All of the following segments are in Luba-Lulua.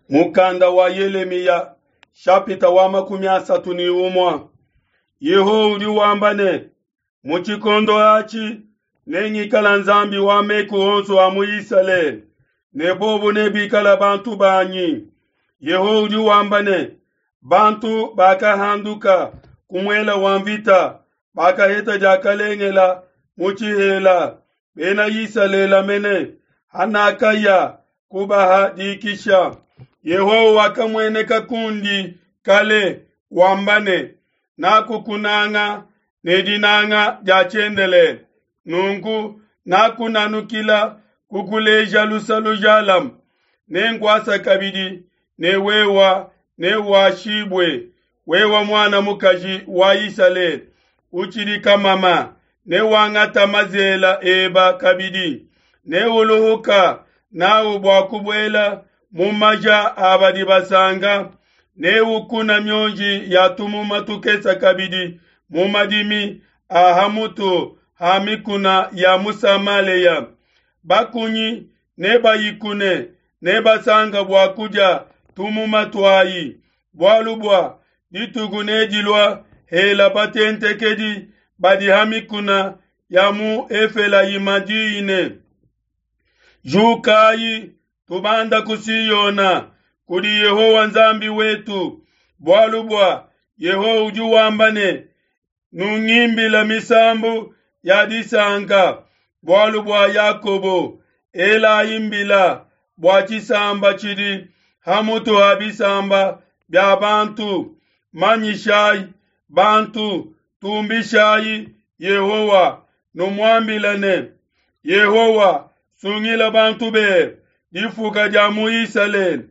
Mukanda wa Yelemiya shapita wa 31. Yehowa udi wamba ne, mu tshikondo atshi nengikala Nzambi wa meku onso a mu Isalele, ne bobu nebikala bantu banyi. Yehowa udi wamba ne, bantu bakahanduka ku muela wa mvita bakaheta diakalengela mu tshihela, bena Isalele mene hanakaya kubaha dikisha. Yehowa wakamueneka kundi kale wamba ne, nakukunanga ne dinanga dia tshiendelele, nunku nakunanukila kukuleja luse lujalame. Nenkuasa kabidi ne wewa newashibue, wewa muana mukaji wa Isalele utshidi kamama, newangata mazela eba kabidi, neuluhuka nawu bua kubuela mu maja a badi basanka, neukuna mionji ya tumuma tukese kabidi mu madimi a ha mutu ha mikuna ya mu Samalea. Bakunyi nebayikune, nebasanka bua kudia tumuma tuayi, bualu bua dituku nedilua hela batentekedi badi ha mikuna ya mu Efelayima diyi ne, Jukayi, tubanda ku Siona, kudi Yehowa Nzambi wetu, bualu bua Yehowa udi wamba ne, nungimbila misambu ya disanka bualu bua Yakobo, elayi mbila bua tshisamba tshidi ha mutu ha bisamba bia bantu, manyishayi bantu, tumbishayi Yehowa, numuambile ne, Yehowa, sungila bantu bebe, difuka dia mu Isalele.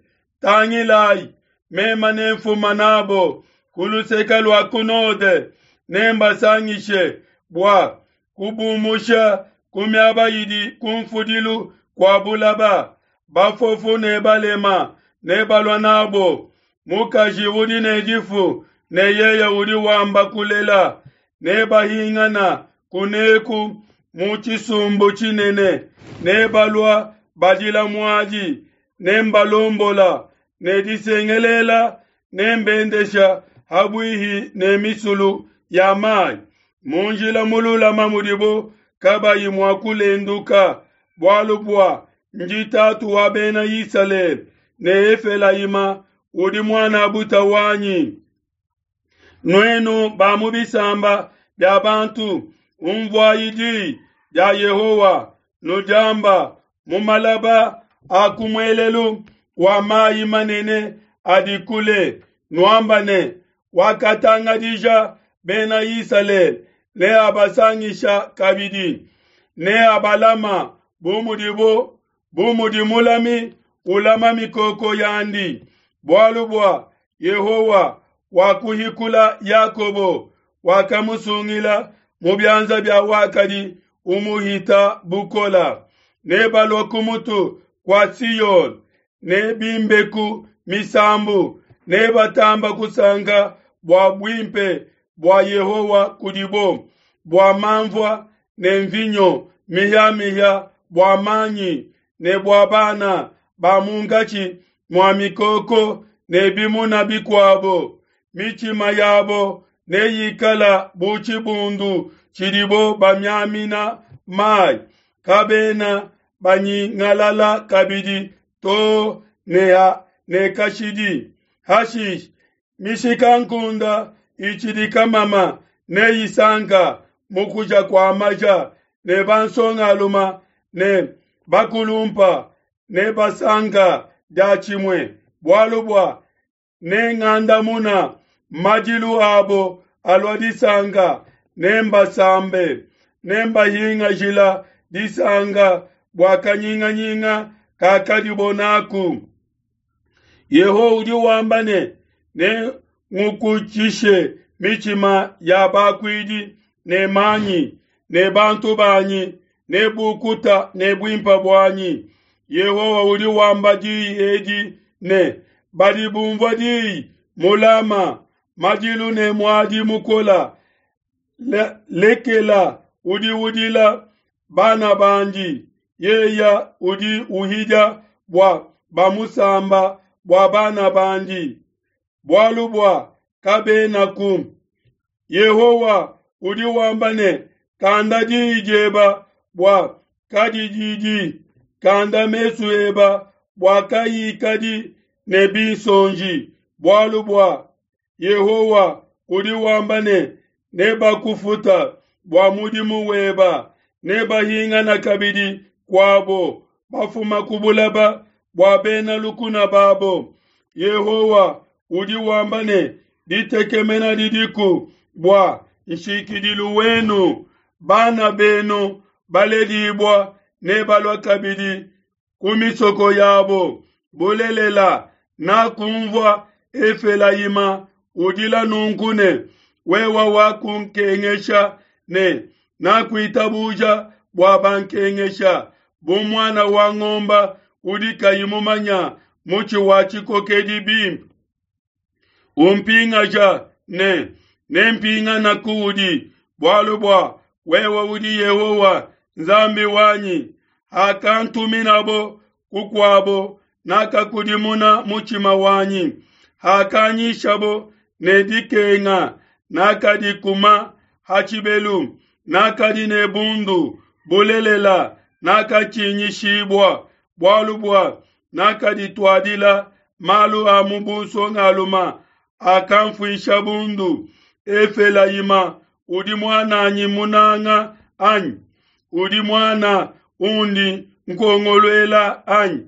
Tangilayi, mema nemfuma nabo ku luseke lua ku node, nembasangishe bua kubumusha ku miaba idi ku mfudilu kua bulaba. Bafofu ne balema nebalua nabo, mukaji udi ne difu ne yeye udi wamba kulela, nebahingana kuneku mu tshisumbu tshinene, nebalua badila muadi, nembalombola ne disengelela, nembendesha habuihi ne misulu ya mai, mu njila mululama mudibo kabayi mua kulenduka, bualu bua ndi tatu wa bena Isalele, ne Efelayima udi muan'abuta wanyi. Nuenu ba mu bisamba bia bantu, unvuayi di dia Yehowa, nudiamba mu malaba a ku muelelu wa mayi manene adi kule, nuamba ne, wakatangadija bena Isalele neabasangisha kabidi, neabalama bu mudibo bu mudi mulami ulama mikoko yandi, bualu bua Yehowa wakuhikula Yakobo, wakamusungila mu bianza bia wakadi umuhita bukola. Nebalua ku mutu kua Siyone, nebimbeku misambu, nebatamba kusanka bua buimpe bua Yehowa kudibo, bua manvua ne mvinyo mihia-mihia, bua manyi ne bua bana ba munkatshi mua mikoko ne bimuna bikuabo. Mitshima yabo neyikala bu tshibundu tshidibo bamiamina mai, kabena banyingalala kabidi to ne kashidi. Hashishe mishikankunde itshidi kamama neyisanka mu kuja kua maja, ne bansongaluma ne bakulumpa nebasanka diatshimue, bualu bua nengandamuna madilu abo alua disanka, nembasambe, nembahingajila disanka bua kanyinganyinga kakadibo naku. Yehowa udi wamba ne, nengukutshishe mitshima ya bakuidi ne manyi, ne bantu banyi ne bukuta ne buimpe buanyi. Yehowa udi wamba diyi edi ne, badi bumvua diyi mu Lama, madilu ne muadi mukola, lekela udi udila bana bandi, yeya udi uhidia bua bamusamba. bua bana bandi, bualu bua kabenaku. Yehowa udi wamba ne, Kanda diyi dieba bua kadididi, kanda mesu eba bua kayikadi ne binsonji, bualu bua Yehowa udi wamba ne, Nebakufuta bua mudimu weba, nebahingana kabidi kuabo bafuma ku bulaba bua bena lukuna babo. Yehowa udi wamba ne, Ditekemena didiku bua nshikidilu wenu, bana benu baledibua nebalua kabidi ku misoko yabo. Bulelela, nakumvua Efelayima udila nunku ne, Wewe wakunkengesha ne nakuitabuja bua bankengesha, bu muana wa ngomba udi kayi mumanya mutshi wa tshikokedi bimpe. Umpingaja ne nempingana kuudi, bualu bua wewe udi Yehowa Nzambi wanyi. Hakantuminabo kukuabo, nakakudimuna mutshima wanyi. Hakanyishabo ne dikenga, nakadikuma ha tshibelu. Nakadi ne bundu, bulelela, nakatshinyishibua, bualu bua nakadituadila malu a mu bunsongaluma akamfuisha bundu. Efelayima udi muananyi munanga anyi? Udi muana undi nkongoluela anyi?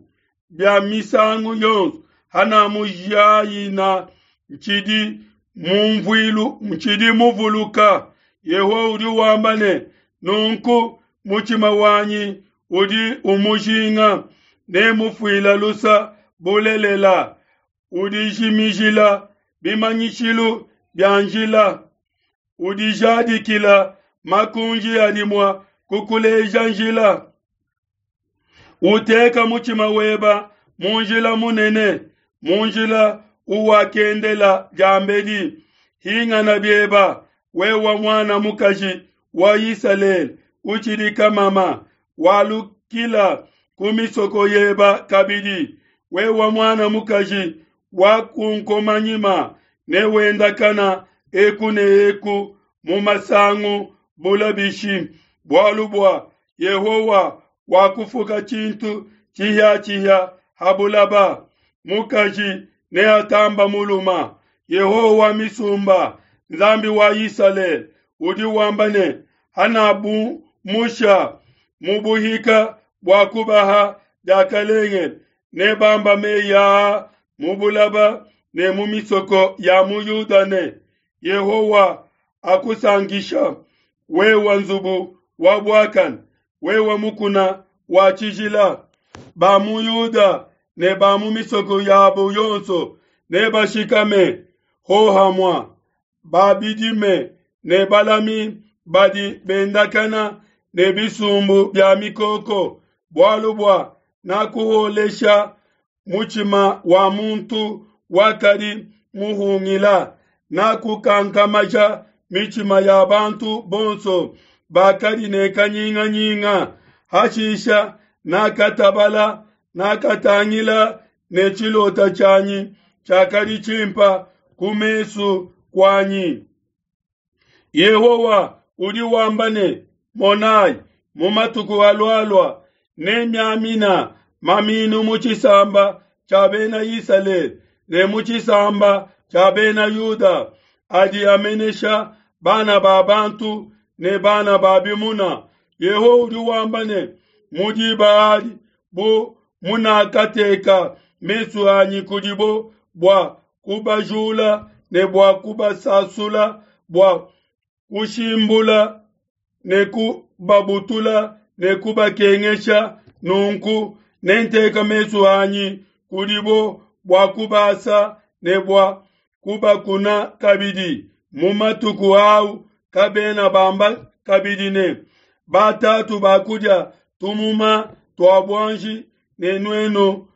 Bia misangu yonso hanamujayina ntshidi mumvuilu ntshidi muvuluka. Yehowa udi wamba ne, Nunku mutshima wanyi udi umujinga, nemufuila lusa bulelela, udijimijila bimanyishilu bia njila, udijadikila makunji adi mua kukuleja njila. Uteka mutshima weba mu njila munene, mu njila uwakendela diambedi. Hingana bieba, wewe muana mukaji wa Isalele, utshidi kamama, walukila ku misoko yeba kabidi. Wewe muana mukaji wa kunkomanyima, ne wendakana eku ne eku mu masangu bula bishi, bualu bua Yehowa wakufuka tshintu tshihiatshihia ha bulaba, mukaji neatamba muluma. Yehowa wa misumba, Nzambi wa Isalele, udi wamba ne, Hanabumusha mu buhika bua kubaha diakalengele, nebamba meyi aa mu bulaba ne mu misoko ya mu Yuda ne, Yehowa akusankisha, wewe nzubu wa buakane, wewe mukuna wa tshijila. Ba mu Yuda ne ba mu misoko yabo yonso nebashikame hohamua, ba bidime ne balami badi bendakana ne bisumbu bia mikoko, bualu bua nakuholesha mutshima wa muntu wakadi muhungila, nakukankamaja mitshima ya bantu bonso bakadi ne kanyinganyinga. Hashisha nakatabala, nakatangila ne tshilota tshianyi tshiakadi tshimpa ku mesu kuanyi. Yehowa udi wamba ne, Monai, mu matuku alualua nemiamina maminu mu tshisamba tshia Bena Isalele ne mu tshisamba tshia Bena Yuda, adi amenesha bana ba bantu ne bana ba bimuna. Yehowa udi wamba ne, Mu diba adi, bu munakateka mesu anyi kudibo bua kubajula ne bua kubasasula, bua kushimbula ne kubabutula ne kubakengesha, nunku nenteka mesu anyi kudibo bua kubasa ne bua kubakuna kabidi. Mu matuku au kabena bamba kabidi ne, Batatu bakudia tumuma tua buanji ne nuenu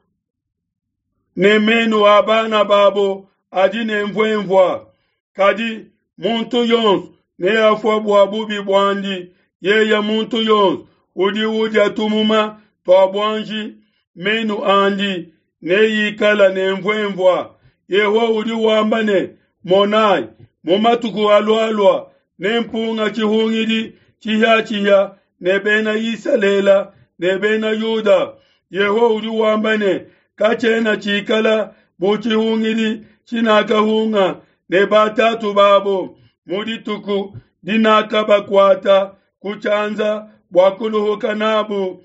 ne menu a bana babo adi ne mvuemvua. Kadi muntu yonso neafua bua bubi buandi, yeye muntu yonso udi udia tumuma tua buanji, menu andi. neyikala ne mvuemvua. Yehowa udi wamba ne, Monai, mu matuku alualua nempunga tshihungidi tshihiatshihia ne Bena Isalele ne Bena Yuda. Yehowa udi wamba ne, Katshiena tshikala bu tshihungidi tshinakahunga ne batatu babo mu dituku dinakabakuata ku tshianza bua kuluhuka nabu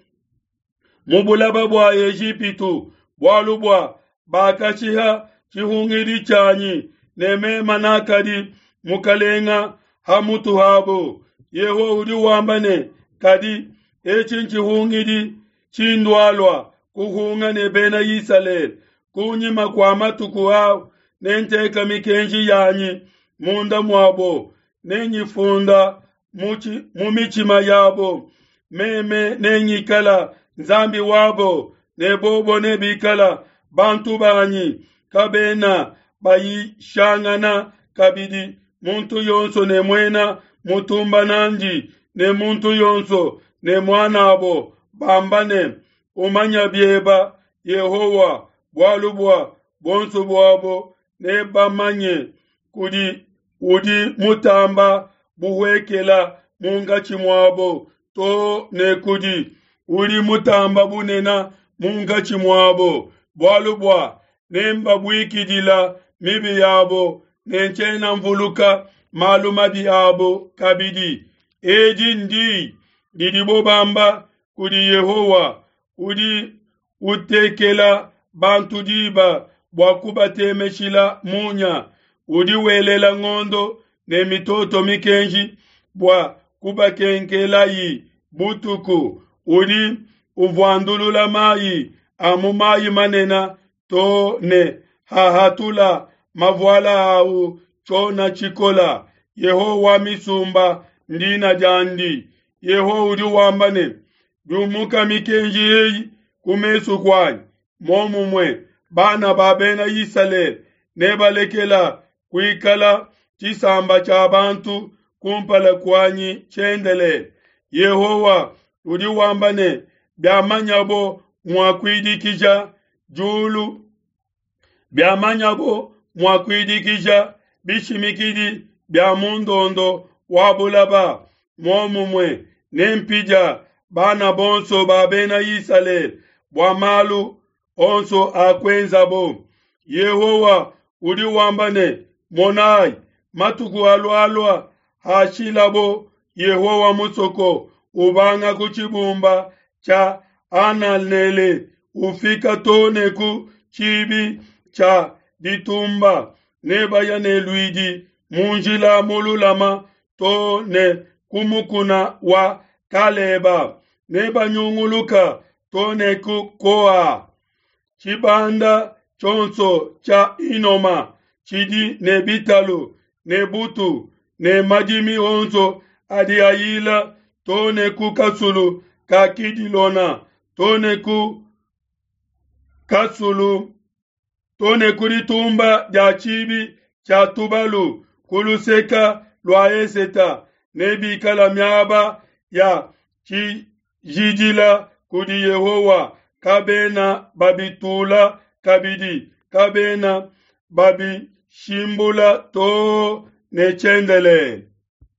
mu bulaba bua Ejipitu, bualu bua bakashiha tshihungidi tshianyi ne mema nakadi mukalenga ha mutu habo. Yehowa udi wamba ne, Kadi etshi ntshihungidi tshindualua kuhunga ne Bena Isalele kunyima kua matuku au, nenteka mikenji yanyi munda muabo, nenyifunda mu mitshima yabo. Meme nengikala Nzambi wabo, ne bobo nebikala bantu banyi. Kabena bayishangana kabidi muntu yonso ne muena mutumba nandi, ne muntu yonso ne muanabo, bamba ne, Umanya bieba Yehowa, bualu bua buonso buabo nebamanye kudi udi mutamba buhuekela munkatshi muabo to ne kudi udi mutamba bunena munkatshi muabo, bualu bua nembabuikidila mibi yabo ne ntshiena mvuluka malu mabi abo kabidi. Edi ndi didibo bamba kudi Yehowa, udi utekela bantu diba bua kubatemeshila munya, udi welela ngondo ne mitoto mikenji bua kubakenkelayi butuku, udi uvuandulula mayi a mu mayi manene to ne hahatula mavuala au tshiona tshikola. Yehowa wa misumba ndina diandi. Yehowa udi wamba ne, Biumuka mikenji eyi ku mesu kuanyi, momumue bana ba Bena Isalele nebalekela kuikala tshisamba tshia bantu kumpala kuanyi tshiendelele. Yehowa udi wamba ne, Biamanyabo mua kuidikija diulu, biamanyabo mua kuidikija bishimikidi bia mu ndondo wa bulaba, muomumue nempidia bana bonso ba Bena Isalele bua malu onso akuenzabo. Yehowa udi wamba ne, Monai, matuku alualua hashilabo Yehowa musoko ubanga ku tshibumba tshia Ananele ufika to ne ku tshibi tshia ditumba, nebaya ne luidi mu njila mululama to ne ku mukuna wa Kaleba, nebanyunguluka to ne ku Koa. Tshibanda tshionso tshia Inoma tshidi ne bitalu ne butu ne madimi onso adi ayila to ne ku kasulu ka Kidilona to ne ku kasulu to ne ku ditumba dia tshibi tshia tubalu ku luseka lua eseta, nebikala miaba ya tshijidila kudi Yehowa, kabena babitula kabidi, kabena babishimbula too ne tshiendelele.